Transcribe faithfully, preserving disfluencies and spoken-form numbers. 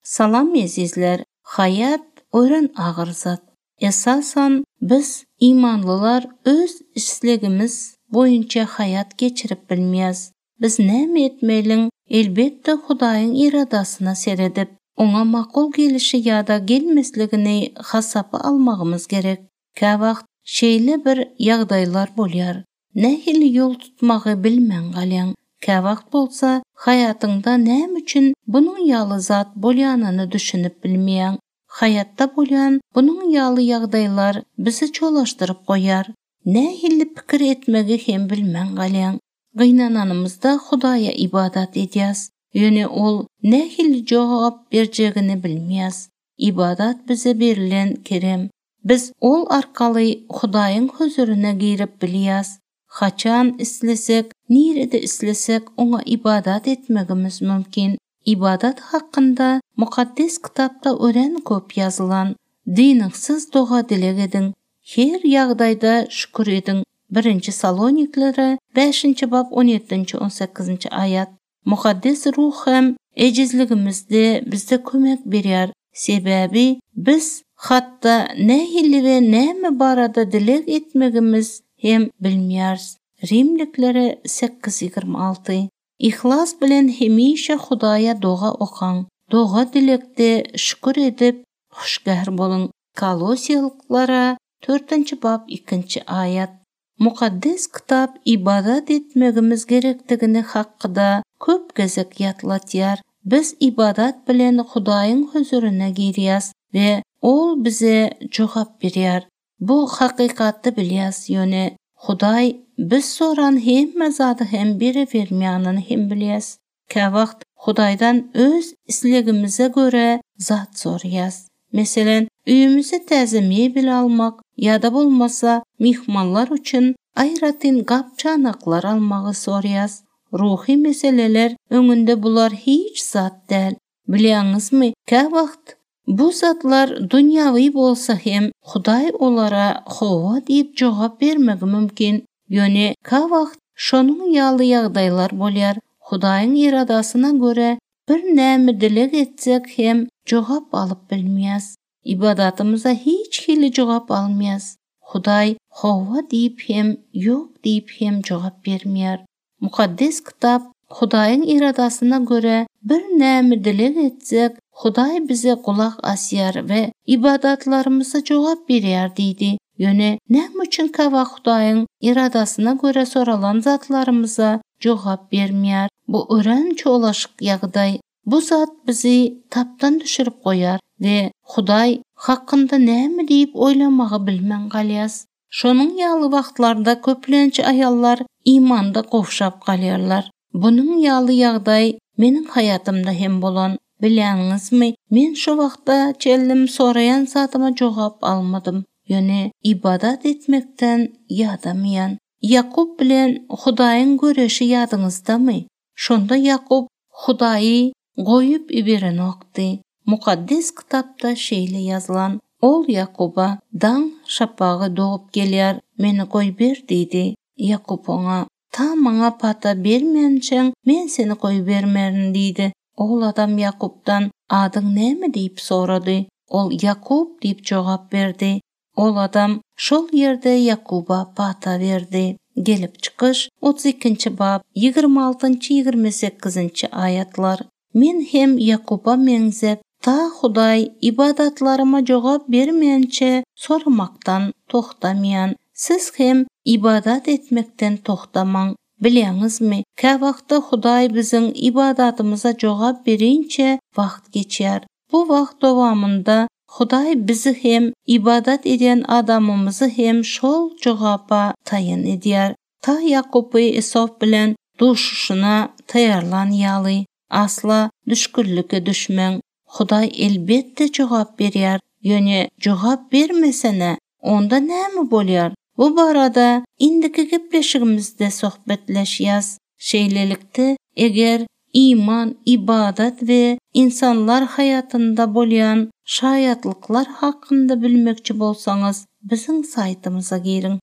Salam ezizler, hayat örän agyr zat. Esasan biz imanlylar öz islegimiz boýunça hayat geçirip bilmeýäs. Biz näme etmeliň? Elbetde Hudaýyň iradasyna seredip, oňa makul gelişi ýa-da gelmesligini hasaba almagymyz gerek. Käwagt şeýle bir ýagdaýlar bolýar. Nähili ýol tutmagy bilmän galýaň. Käwagt bolsa haýatyňda näme üçin bunuň ýaly zat bolýanyny düşünip bilmeýäň. Haýatda bolýan bunuň ýaly ýagdaýlar bizi çolaşdyryp goýar. Nähili pikir etmegi hem bilmän galýaň. Gynananymyzda Hudaýa ibadat edýäs. Ýöne ol nähili jogap berjegini bilmeýäs. Ibadat bize berilen kerem. Biz ol arkaly Hudaýyň huzuryna girip bilýäs. Haçan islesek, nirede islesek oňa ibadat etmegimiz mümkin. Ibadat hakynda Mukaddes kitapda örän köp ýazylan. Dynyňsyz doga dileg ediň. Her ýagdaýda şükür ediň. Birinji Saloniklere bäşinji bap on ýedinji on sekizinji aýat. Mukaddes ruh hem ejizligimizde bize kömek berýär. Sebäbi biz hatda nähili we näme barada dileg etmegimiz hem bilmeýäris. Rimliklere sekiz ýigrimi alty. Ihlas bilen hemişe Hudaýa doga okaň. Doga dilekde şükür edip hoşgär boluň. Kolosýalyklara dördünji bap ikinji aýat. Mukaddes kitap ibadat etmegimiz gerekdigini hakda köp gezek ýatlatýar. Biz ibadat bilen Hudaýyň huzuryna girýäs we ol bize jogap berýär. Bu hakykatdy bilýäs, ýöne Hudaý biz soran hemme zady hem bere bermeýänini hem bilýäs. Käwagt Hudaýdan öz islegimize görä zat soraýas. Meselen, öýümize täze mebel almak ýa-da bolmasa myhmanlar üçin aýratyn gap-çanaklar almagy soraýas. Ruhy meseleler öňünde bular hiç zat däl. Bilýäňizmi, käwagt bu zatlar dünýawi bolsa hem Hudaý olara hawa diýip jogap bermegi mümkin. Ýöne käwagt şonuň ýaly ýagdaýlar bolýar. Hudaýyň iradasyna görä bir näme dileg etsek hem jogap alyp bilmeýäs. Ibadatymyza hiç hili jogap almaýas. Hudaý hawa diýip hem ýok diýip hem jogap bermeýär. Mukaddes kitap Hudaýyň iradasyna görä bir näme dileg etsek, Hudaý bize gulak asýar we ibadatlarymyza jogap berýär diýdi. Ýöne näme üçin käwagt Hudaýyň iradasyna görä soralan zatlarymyza jogap bermeýär? Bu örän çolaşyk ýagdaý. Bu zat bizi tapdan düşürip goýar we Hudaý hakynda näme diýip oýlamagy bilmän galýas. Şonuň ýaly wagtlarda köplenç aýallar imanda gowşap galýarlar. Bunuň ýaly ýagdaý meniň haýatymda hem bolan. Bilýäňizmi, men şu wagtda çenlim soraýan zadyma jogap almadym. Ýöne ibadat etmekden ýadamaýan. Ýakup bilen Hudaýyň göreşi ýadyňyzdamy? Şonda Ýakup Hudaýy goýup iberenokdy. Mukaddes kitapda şeýle ýazylan: Ol Ýakuba daň şapagy dogup gelýär, meni goýber diýdi. Ýakup oňa: Ta maňa pata bermänçäň men seni goýbermerin diýdi. Ol adam Ýakupdan adyň näme diýip sorady. Ol Ýakup diýip jogap berdi. Ol adam şol ýerde Ýakuba pata berdi. Gelip çykyş otuz ikinji bap ýigrimi altynjy ýigrimi sekizinji aýatlar. Men hem Ýakuba meňzep ta Hudaý ibadatlaryma jogap bermänçe soramakdan toxtamaýan. Siz hem ibadat etmekden toxtamaň. Bilýäňizmi, käwagtda Hudaý biziň ibadatymyza jogap berinçe wagt geçýär. Bu wagt dowamynda Hudaý bizi hem ibadat edýän adamymyzy hem şol jogapa taýyn edýär. Ta Ýakupy Esaf bilen duşuşyna taýýarlan ýaly asla düşkünlige düşmäň. Hudaý elbetde jogap berýär. Ýöne jogap bermesene onda näme bolýar? Bu barada indiki gepleşigimizde söhbetleşýäs. Şeýlelikde, eger iman, ibadat we insanlar haýatynda bolýan şaýatlyklar hakynda bilmekçi bolsaňyz, biziň saýtymyza giriň.